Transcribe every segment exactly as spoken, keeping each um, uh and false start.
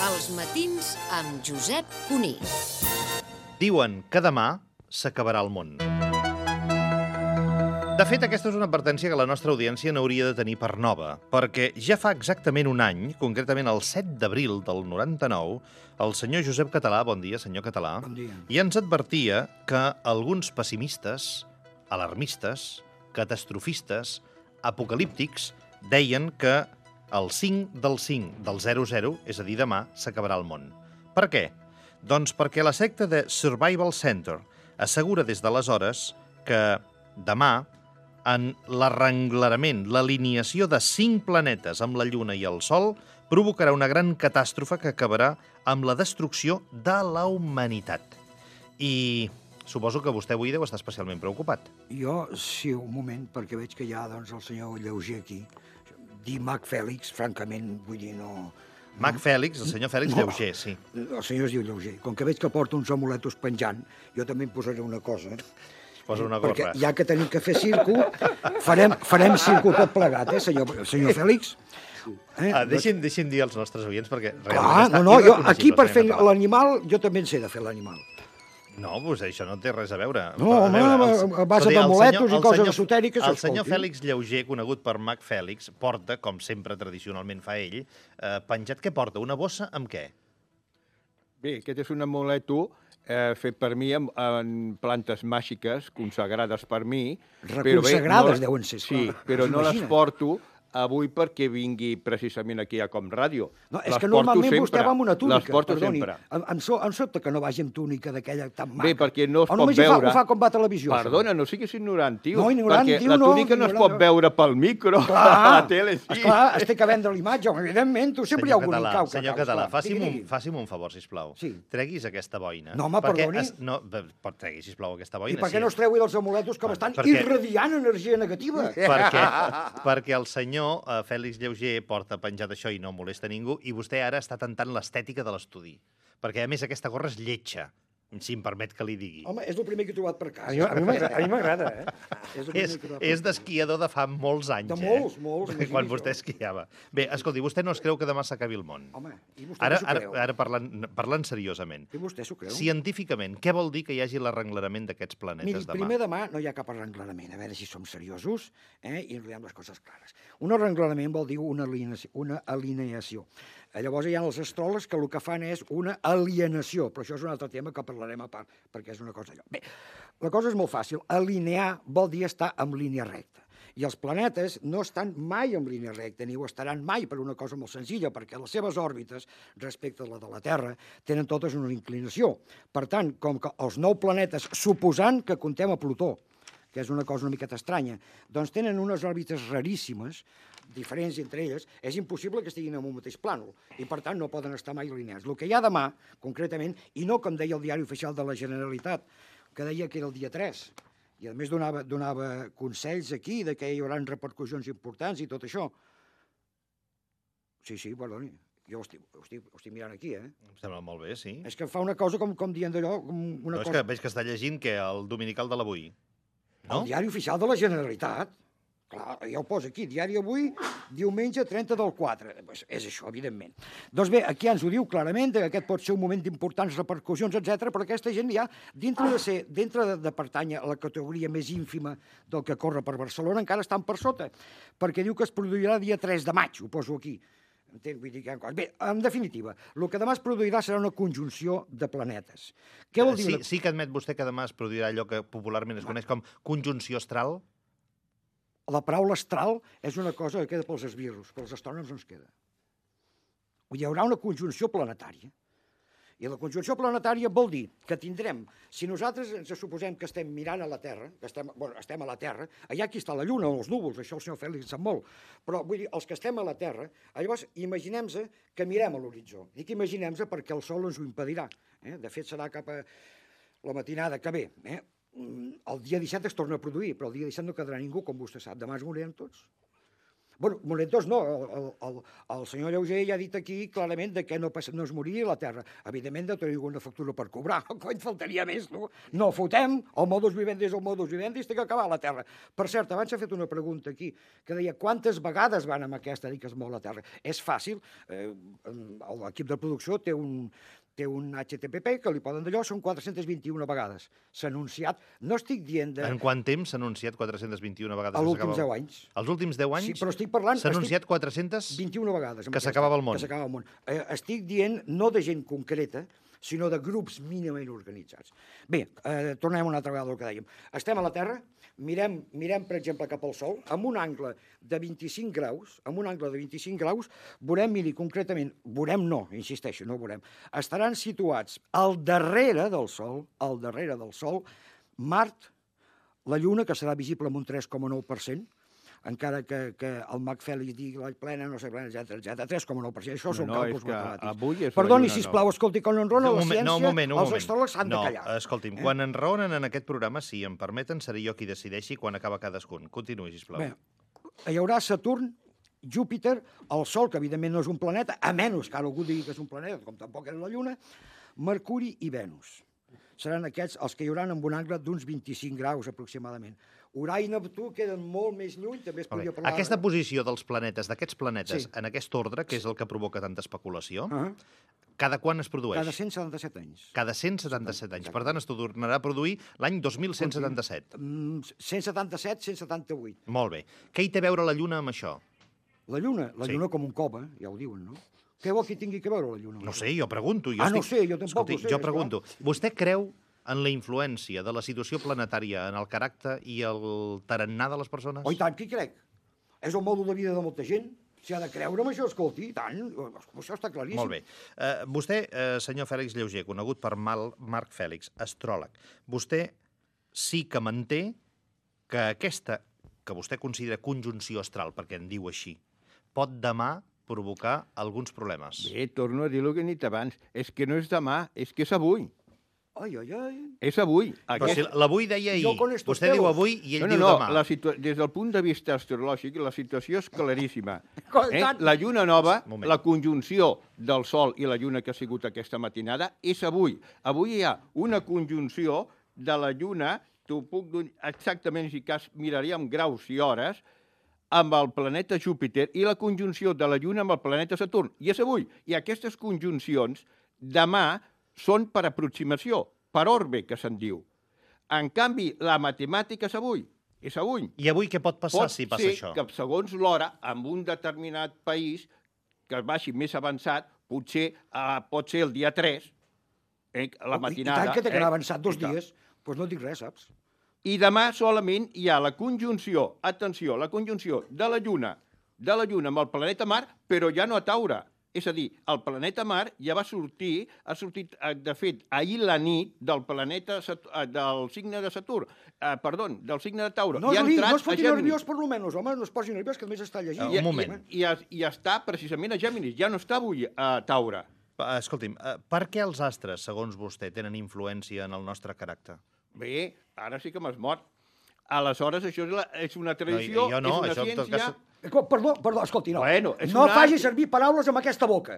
Els matins amb Josep Cuní. Diuen que demà s'acabarà el món. De fet, aquesta és una advertència que la nostra audiència n'hauria de tenir per nova, perquè ja fa exactament un any, concretament el set d'abril del noranta-nou, el senyor Josep Català, bon dia, senyor Català, Bon dia. ja ens advertia que alguns pessimistes, alarmistes, catastrofistes, apocalíptics, deien que el cinc del cinc del zero zero, és a dir, demà, s'acabarà el món. Per què? Doncs perquè la secta de Survival Center assegura des d'aleshores que demà, en l'arrenglerament, l'alineació de cinc planetes amb la Lluna i el Sol, provocarà una gran catàstrofe que acabarà amb la destrucció de la humanitat. I suposo que vostè avui deu estar especialment preocupat. Jo, sí, un moment, perquè veig que hi ha doncs, el senyor Lleuger aquí. Dir Mac Fèlix, francament, vull dir, no... Mac Fèlix, el senyor Fèlix No. Lleuger, sí. El senyor es diu Lleuger. Com que veig que porta uns amuletos penjant, jo també em posaré una cosa. Posa una Perquè gorra. ja que tenim que fer circo, farem, farem circo tot plegat, eh, senyor, senyor Fèlix? Eh? Ah, deixin, deixin dir als nostres oients, perquè Clar, realment està no, no, jo irreconeixible, aquí per fer senyor Català. l'animal, jo també en sé de fer l'animal. No, doncs això no té res a veure. No, A home, veure, a- a base escolti, el d'amuletos senyor- i el coses senyor- esotèriques, El senyor escolti. Fèlix Lleuger, conegut per Mac Fèlix, porta, com sempre tradicionalment fa ell, eh, penjat què porta? Una bossa amb què? Bé, aquest és un amuleto eh, fet per mi amb, en plantes màgiques consagrades per mi. però bé, Reconsagrades no- deuen ser, Sí, esclar. però no les Imagina't. porto avui perquè vingui precisament aquí a Com Ràdio. No, és Les que porto normalment sempre, vostè va amb una túnica, Les porto perdoni. sempre. Em, em, so, em sobta que no vagi amb túnica d'aquella tan maca. Bé, perquè no es o pot només hi veure... Fa, ho fa com va a televisió. això? Perdona, no siguis ignorant, tio. No, ignorant, perquè tio, la no, túnica no, es ignorant, pot no. veure pel micro, Clar, a la tele sí. Esclar, es té que vendre l'imatge, home, evidentment, tu sempre hi ha algun Català, incau. que senyor cau, Català, esclar. faci'm Digui, un, digui. faci'm un favor, sisplau. Sí. Treguis aquesta boina. No, home, perquè perdoni. Es, no, be- pot tregui, sisplau, aquesta boina. I per què sí. no es treui dels amuletos que m'estan perquè- irradiant energia negativa? perquè, perquè el senyor eh, Fèlix Lleuger porta penjat això i no molesta ningú, i vostè ara està tentant l'estètica de l'estudi. Perquè, a més, aquesta gorra és lletja, si em permet que li digui. Home, és el primer que he trobat per casa. A mi, a mi m'agrada, a mi m'agrada, eh? És, el primer És, que he trobat per és casa. d'esquiador de fa molts anys, De eh? molts, molts, imagini Quan això. vostè esquiava. Bé, escolti, vostè no es creu que demà s'acabi el món? Home, i vostè Ara, s'ho ara, creu? ara parlant, parlant seriosament. I vostè s'ho creu? Científicament, què vol dir que hi hagi l'arrenglerament d'aquests Miri, planetes demà? primer demà no hi ha cap arrenglerament, a veure si som seriosos eh, i ens diem les coses clares. Un arrenglerament vol dir una alineació. Una alineació. Eh, llavors hi ha els astròlegs que el que fan és una alienació, però això és un altre tema que parlarem a part, perquè és una cosa allò. Bé, la cosa és molt fàcil. Alinear vol dir estar en línia recta. I els planetes no estan mai en línia recta, ni ho estaran mai per una cosa molt senzilla, perquè les seves òrbites, respecte a la de la Terra, tenen totes una inclinació. Per tant, com que els nou planetes, suposant que contem a Plutó, que és una cosa una miqueta estranya, doncs tenen unes òrbites raríssimes, diferents entre elles, és impossible que estiguin en un mateix plànol, i per tant no poden estar mai alineats. El que hi ha demà, concretament, i no com deia el diari oficial de la Generalitat, que deia que era el dia tres, i a més donava, donava consells aquí de que hi haurà repercussions importants i tot això. Sí, sí, perdoni, jo ho estic, ho estic, ho estic mirant aquí, eh? Em sembla molt bé, sí. És que fa una cosa com, com dient d'allò, com una No, és cosa... que veig que està llegint que el dominical de l'avui. El diari oficial de la Generalitat. Clar, ja ho posa aquí, diari avui, diumenge trenta del quatre. Pues és això, evidentment. Doncs bé, aquí ens ho diu clarament, que aquest pot ser un moment d'importants repercussions, etcètera, però aquesta gent ja, dintre de ser, dintre de, de pertànyer a la categoria més ínfima del que corre per Barcelona, encara estan per sota, perquè diu que es produirà dia tres de maig, ho poso aquí. Entenc, vull dir que hi ha coses. Bé, en definitiva, el que demà es produirà serà una conjunció de planetes. Què vol dir? Sí, una- sí que admet vostè que demà es produirà allò que popularment es coneix com conjunció astral? La paraula astral és una cosa que queda pels esbirros, pels astrònoms no ens queda. Hi haurà una conjunció planetària. I la conjunció planetària vol dir que tindrem, si nosaltres ens suposem que estem mirant a la Terra, que estem, bueno, estem a la Terra, allà aquí està la Lluna o els núvols, això el senyor Fèlix sap molt, però vull dir, els que estem a la Terra, llavors imaginem-se que mirem a l'horitzó. Dic imaginem-se perquè el Sol ens ho impedirà. Eh? De fet, serà cap a la matinada que ve. Eh? El dia disset es torna a produir, però el dia disset no quedarà ningú, com vostè sap. Demà es morirem tots. Bueno, momentos no, el, el, el, el senyor Lleuger ja ha dit aquí clarament de que no, passa, no es moriria la Terra. Evidentment, de tenir una factura per cobrar, cony, faltaria més, no? No fotem, el modus vivendi és el modus vivendi, té que acabar la Terra. Per cert, abans s'ha fet una pregunta aquí, que deia quantes vegades van amb aquesta dir que es mou la Terra. És fàcil, eh, l'equip de producció té un, té un H T T P que li poden d'allò, són quatre-centes vint-i-una vegades. S'ha anunciat, no estic dient de... En quant temps s'ha anunciat quatre-centes vint-i-una vegades? Els últims deu anys. Els últims deu anys? Sí, però estic parlant... S'ha anunciat quatre-centes... vint-i-una vegades. Que s'acabava el món. Que s'acabava el món. Eh, estic dient no de gent concreta, sinó de grups mínimament organitzats. Bé, eh, tornem una altra vegada al que dèiem. Estem a la Terra, mirem, mirem, per exemple, cap al Sol, amb un angle de vint-i-cinc graus, amb un angle de vint-i-cinc graus, veurem, miri, concretament, veurem no, insisteixo, no veurem, estaran situats al darrere del Sol, al darrere del Sol, Mart, la Lluna, que serà visible amb un tres coma nou per cent, encara que, que el Mac Fèlix digui la plena, no sé, plena, etcètera, etcètera, tres coma nou per cent. Això són no, càlculs és matemàtics. Avui és Perdoni, sisplau, escolti, quan enrona la ciència, no, un moment, un els moment. astròlegs s'han no, de callar. No, escolti'm, eh? Quan enraonen en aquest programa, si em permeten, seré jo qui decideixi quan acaba cadascun. Continuï, sisplau. Bé, hi haurà Saturn, Júpiter, el Sol, que evidentment no és un planeta, a menys que ara algú digui que és un planeta, com tampoc és la Lluna, Mercuri i Venus. Seran aquests els que hi haurà amb un angle d'uns vint-i-cinc graus aproximadament. Urà i Neptú queden molt més lluny, també es podria parlar... Aquesta posició dels planetes, d'aquests planetes, Sí. en aquest ordre, que és el que provoca tanta especulació, Uh -huh. cada quan es produeix? Cada cent setanta-set anys. Cada cent setanta-set anys. Per tant, es tornarà a produir l'any dos mil cent setanta-set. Mm, cent setanta-set, cent setanta-vuit. Molt bé. Què hi té a veure la Lluna amb això? La Lluna, la Sí. Lluna com un cova, ja ho diuen, no? Què vol que tingui que veure la Lluna? No sé, jo pregunto. Jo Ah, no estic... sé, jo tampoc Escolti, ho sé, jo és pregunto. Vostè creu en la influència de la situació planetària en el caràcter i el tarannà de les persones? Oh, i tant, qui crec? És el mòdul de vida de molta gent. Si ha de creure en això, escolti, i tant. Això està claríssim. Molt bé. Uh, vostè, uh, senyor Fèlix Lleuger, conegut per Mal Marc Fèlix, astròleg, vostè sí que manté que aquesta, que vostè considera conjunció astral, perquè en diu així, pot demà provocar alguns problemes. Bé, torno a dir el que he dit abans. És que no és demà, és que és avui. Ai, ai, ai. És avui. Però Aquest... si l'avui deia ahir, Jo con estos vostè diu pelos. avui i ell no, no, diu no, demà. la situa... Des del punt de vista astrològic, la situació és claríssima. I Eh? tant. La lluna nova, Moment. la conjunció del Sol i la lluna que ha sigut aquesta matinada, és avui. Avui hi ha una conjunció de la lluna, t'ho puc dir exactament, si cas miraríem graus i hores, amb el planeta Júpiter i la conjunció de la lluna amb el planeta Saturn. I és avui. I aquestes conjuncions, demà, són per aproximació, per orbe, que se'n diu. En canvi, la matemàtica és avui. És avui. I avui què pot passar Pot si passa ser això? que, segons l'hora, en un determinat país que vagi més avançat, potser eh, pot ser el dia tres, eh, la matinada. I tant que té que anar avançat dos I tant. dies. Doncs pues no dic res, saps? I demà solament hi ha la conjunció, atenció, la conjunció de la Lluna, de la Lluna amb el planeta Mar, però ja no a Taure. És a dir, el planeta Mar ja va sortir, ha sortit, eh, de fet, ahir la nit del planeta, Sat- eh, del signe de Saturn, eh, perdó, del signe de Taure. No, I ha es, li, entrat no es a foti Géminis. nerviós, per lo menos, home, no es posi nerviós, que només està llegint. Un moment. I, i, I està precisament a Géminis, ja no està avui a Taure. Uh, escolti'm, uh, per què els astres, segons vostè, tenen influència en el nostre caràcter? Bé, ara sí que m'has mort. Aleshores, això és, la, és una tradició, jo no, és una això en tot ciència... cas- Eh, Perdó, perdó, escolti, no. Bueno, és no un faci art. servir paraules amb aquesta boca.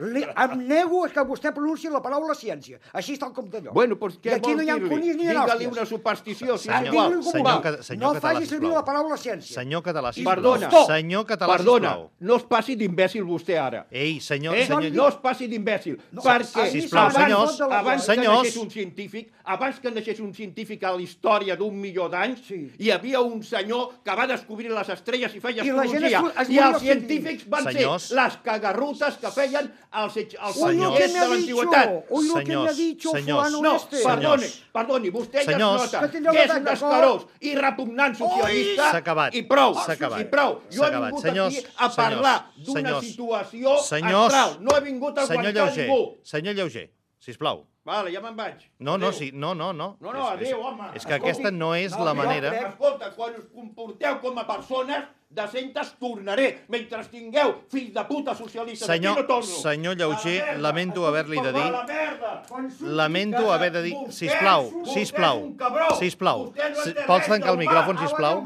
Li, em nego que vostè pronunciï la paraula ciència. Així està el compte d'allò. Bueno, doncs què I aquí vol no hi ha dir-li? conills ni Digue-li hòsties. una superstició, si és Senyor, igual. Digui-li com senyor vulgui. Ca- senyor no català, faci servir sisplau. la paraula ciència. Senyor català, I- sisplau. Perdona. Senyor català, Perdona, sisplau. no es passi d'imbècil vostè ara. Ei, senyor... Eh? senyor... No es passi d'imbècil, No, perquè ah, sisplau, abans, senyors, abans que senyors. naixés un científic, abans que naixés un científic a la història d'un milió d'anys, Sí. hi havia un senyor que va descobrir les estrelles i feia I la gent astrologia. es- es I moria els als cent científics van Senyors. ser les cagarrutes que feien els, els Uy, lo Senyors. que follets me de ha dicho, l'antiguitat. uy, lo que me ha Senyors, dicho senyors. fulano No, este. perdoni, Senyors. perdoni, vostè ja Senyors. es nota Que tindreu que és la un tanga, escarós i repugnant socialista S'ha acabat. i prou, S'ha acabat. i prou. Jo S'ha he acabat. vingut Senyors, aquí a parlar senyors, d'una senyors. situació Senyors. astral. No he vingut a Senyor aguantar Lleuger, ningú. senyor Lleuger, sisplau. Vale, ja me'n vaig. No, no, Adéu. sí, no, no, no. No, no, És- és- adéu, home. És que Escolti, aquesta no és no, la jo manera... crec- Escolta, quan us comporteu com a persones decentes, tornaré. Mentre tingueu fills de puta socialistes Senyor- aquí, no torno. senyor Lleuger, A la merda. lamento Escolti, haver-li de per dir- la merda. lamento haver de dir... Sisplau, sisplau, sisplau. Si- Vols tancar el micròfon, sisplau?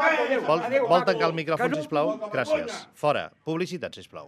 Vol, vol tancar el micròfon, sisplau? Gràcies. Fora. Publicitat, sisplau.